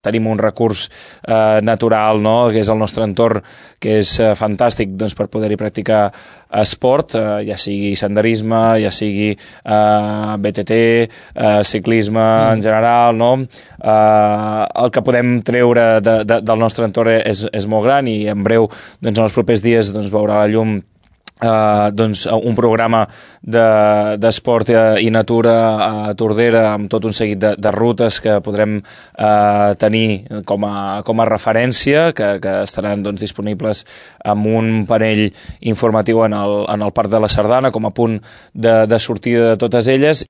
Tenim un recurs natural, no?, que és el nostre entorn, que és fantàstic doncs, per poder-hi practicar esport, ja sigui senderisme, ja sigui BTT, ciclisme en general, no? El que podem treure del nostre entorn és molt gran i en breu, doncs, en els propers dies, doncs, veurà la llum doncs, un programa d'esport i natura a Tordera amb tot un seguit de rutes que podrem tenir com a referència, que estaran doncs, disponibles amb un panell informatiu en el Parc de la Sardana com a punt de sortida de totes elles.